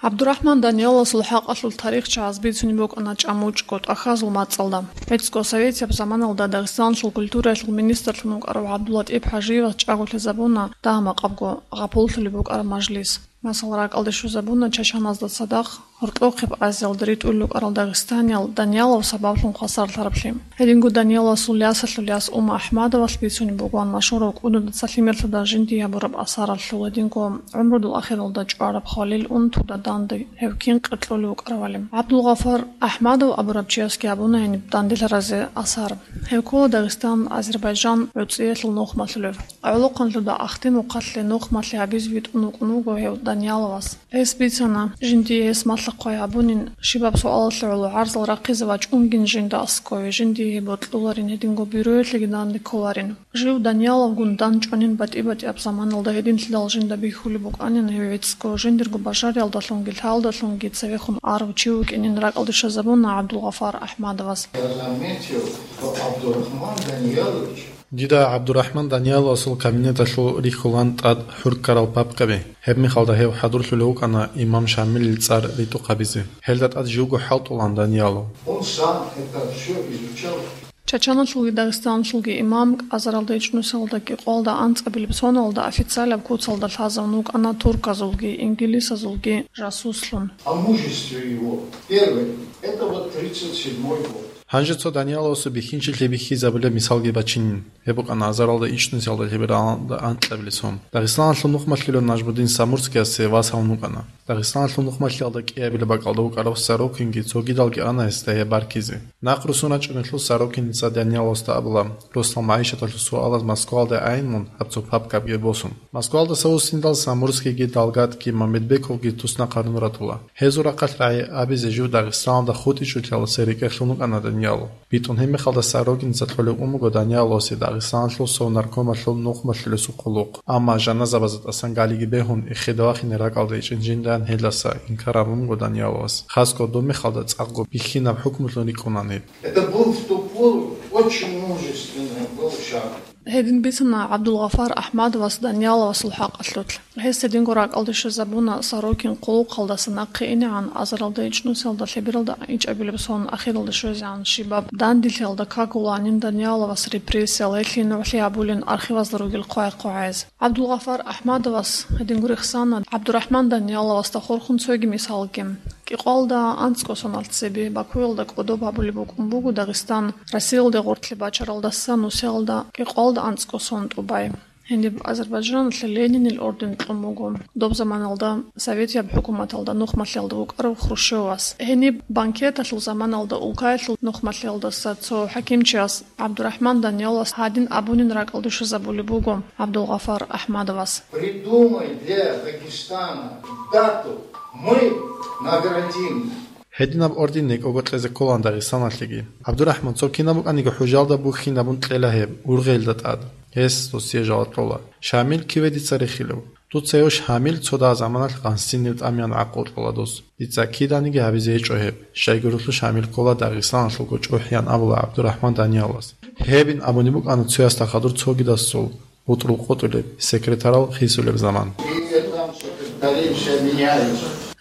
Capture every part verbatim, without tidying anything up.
ГӀабдурахӀман Данияловасул хӀакъалъулъ тарихчияз бицунеб букӀана чӀамучӀго тӀахьазул мацӀалда. ГӀицӀго советияб заманалда Дагъистаналъул культураялъул министрлъун вукӀарав ГӀабдуллатӀип ХӀажиевас чӀаголъизабуна дагьа-макъабго гъапуллъулеб букӀараб мажлис. Масала, ракӀалде щвезабуна Чачаназда цадахъ гьоркьохъеб Азиялда ритӀулел рукӀарал дагъистаниял Даниялов сабаблъун хвасарлъараблъи. Гьединго Данияловасул ясалъул яс Ума АхӀмадовалъ бицунеб бугоан машгьурав кӀудуда цалъи-мерлъуда жиндие гьабураб асаралъул, гьединго гӀумрудул ахиралда чӀвараб хвалил унтуда данде гьев кин къеркьулев вукӀаравали. ГӀабдулгъафар АхӀмадов абураб чиясги гьабуна гьениб данделъаразе асар. Гьев ккола Дагъистан, Азербайджан гӀуцӀиялъул нухмалъулев. ГӀолохъанлъуда Ахтимухъалъе нухмалъи гьабизе витӀун вукӀун вуго гьев Данияловас. Гьес бицана, жиндие гьес малъа-хъвай гьабунин, щибаб суалалъе гӀоло гӀарзал рахъизе вачӀунгин жинда аскове, жиндие гьеб бокьуларин, гьединго бюроялъеги данде кколарин. Жив Данияловгун дандчӀванин батӀи-батӀияб заманалда гьединлъидал жинда бихьулеб букӀанин гьев гӀицӀго, жиндирго бажариялдалъунги лъалдалъунги цевехун арав чи вукӀинин ракӀалде щвезабуна ГӀабдулгъафар АхӀмадовас. Я заметил, что Абдурахман Даниялович Дида ГӀабдурахӀман Данияловасул кабинеталъул рихьулан тӀад хӀурккарал папкаби. Гьеб мехалда гьев хӀадурлъулев вукӀана имам Шамилил цӀар ритӀухъ гьабизе. Гьелда тӀад живго хӀалтӀулан Даниялов. Он сам это все изучал. Чачаналъулги Дагъистаналъулги имам азаралда ичӀнусиялда кӀикъоялда анцӀабилеб соналда официалаб куцалда лъазавун вукӀана турказулги, ингилисазулги жасуслъун. О мужестве его. Первый. Это вот тридцать седьмой год. Гьанже цо Данияловасул бихьинчилъи бихьизабулеб мисалги бачинин. Гьеб букӀана азаралда ичӀнусиялда лъебералда анкьабилеб сон. Дагъистаналъул нухмалъулев Нажмудин Самурскиясе вас гьавун вукӀана. Дагъистаналъул нухмалъиялда кӀиабилеб бакӀалда вукӀарав Сорокинги цогидалги ана гьесда гьеб баркизе. Нахъ руссун рачӀунелъул Сорокиница Данияловасда абула, росдал магӀишаталъул суалаз Москваялде айин мун, гьаб цо папкабги босун. Москваялдаса вуссиндал Самурскийги, Далгатги, Мамедбековги туснахъарун ратула. Гьезул рахъалъ рагӀи абизе жив Дагъистаналда хутӀичӀолъиялдаса рекӀелъун вукӀана Даниялов. БитӀун гьеб мехалда Сорокиница кьолеб ун буго Данияловасе Дагъистаналъул сов наркомалъул нухмалъулесул хъулухъ. Амма жаназабазда тӀасан галиги бегьун, эхеде вахине ракӀалда ичӀин жиндан гьелдаса инкар гьабун буго Данияловас. Хасго доб мехалда цӀакъго бихьинаб хӀукмулъун рикӀкӀунани. Это был в ту пору очень мужественный был шаг. Гьедин бицана ГӀабдулгъафар АхӀмадовас Данияловасул хӀакъалъулъ. Гьес гьединго ракӀалде щвезабуна Сорокин хъулухъалдаса нахъе инегӀан, азаралда ичӀнусиялда лъебералда ичӀабилеб сон ахиралде щвезегӀан щибаб данделъиялда кагуланин Данияловас репрессиял, гьелъие нугӀлъи гьабулин архивазда ругел хъвай-хъвагӀаяз. ГӀабдулгъафар АхӀмадовас гьединго рехсана ГӀабдурахӀман Данияловасда хурхун цоги мисалги. КӀикъоялда анцӀго соналъ цебе Бакуялда кӀодоб гьабулеб букӀун буго Дагъистан Россиялде гъоркье бачаралдаса нусиялда кӀикъоялда анцӀго сон тӀубай. Гьениб Азербайджаналъе Ленинил орден кьун буго. Доб заманалда советияб хӀукуматалда нухмалъиялда вукӀарав Хрущевас. Гьениб банкеталъул заманалда улкаялъул нухмалъиялдаса цо хӀакимчияс ГӀабдурахӀман Данияловас гьадин абунин ракӀалде щвезабулеб буго ГӀабдулгъафар АхӀмадовас. Придумай для Дагестана дату, мы наградим. Гьединаб орден некӀого кьезе кколаан Дагъистаналъеги. ГӀабдурахӀман, цо кинаб букӀаниги хӀужалда бухьинабун кьела гьеб, ургъелда тӀад. Гьес досие жаваб кьола: «Шамил киве дица рехилев? Дуца гьев Шамил цо дагьа заманалъ гъансинив тӀамиян гӀакълу кьола дос. Дица киданиги гьабизе гьечӀо гьеб. Щайгурелъул Шамил ккола Дагъистаналъулго чӀухӀиян», — абула ГӀабдурахӀман Данияловас. Гьебин абуни букӀана цоясда хадур цогидасул бутӀрул къотӀулеб, секретарал хисулеб заман.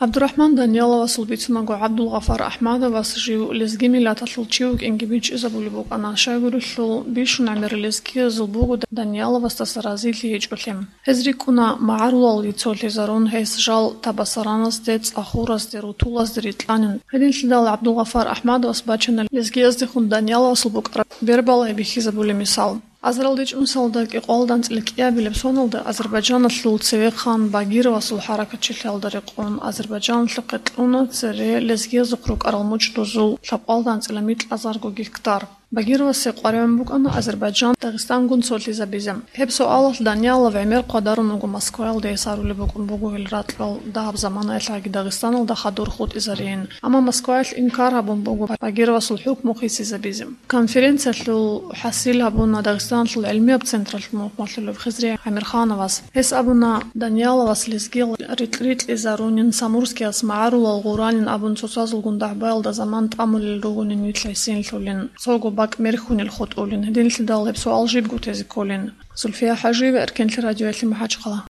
ГӀабдурахӀман Данияловасул бицунаго, ГӀабдулгъафар АхӀмадовас жив лезги миллаталъул чи вукӀинги бичӀчӀизабулеб букӀана, щайгурелъул бищун гӀемер лезгиязул буго Данияловасдаса разилъи гьечӀолъи. Гьез рикӀкӀуна магӀарулалги цолъизарун, гьес жал Табасараназде, ЦӀахуразде, Рутулазде рикьанин. Гьединлъидал ГӀабдулгъафар АхӀмадовас бачана лезгияздехун Данияловасул букӀараб бербал гьеб бихьизабулеб мисал. Азарал ичӀнусалда кӀикъоялда анцӀила кӀиабилеб соналда Азербайджаналъул цевехъан Багировасул хӀаракатчилъиялда рекъон Азербайджаналъухъе кьуна цере лезгиязухъ рукӀарал мучӀдузул лъабкъоялда анцӀила микьазарго гектар. Багировасе къваригӀун букӀана Азербайджан Дагъистангун цолъизабизе. Гьеб суалалъ Даниялов гӀемер хъвадарун вуго Москваялда, гьес арулеб букӀун буго гьел ракьал дагьаб заманаялъ гьаги Дагъистаналда хадур хутӀизарейин. Амма Москваялъ инкар гьабун буго Багировасул хӀукму хисизабизе. Конференциялъул хӀасил гьабуна Дагъистаналъул гӀилмияб централъул мухӀмалъулев Хизри ГӀамирхановас. Гьес абуна, Данияловас лезгиял рикь-рикьизарунин, Самурскияс магӀарулал гъуранин абун цоцазулгун дагӀбаялда заман тӀамулел ругонин нилъ гӀисинлъулин, цого бакӀ мерхьунел хутӀулин, гьединлъидал гьеб суал жибго тезе кколин. Зульфия ХӀажиева, Эркенлъи радиоялъе, МахӀачхъала.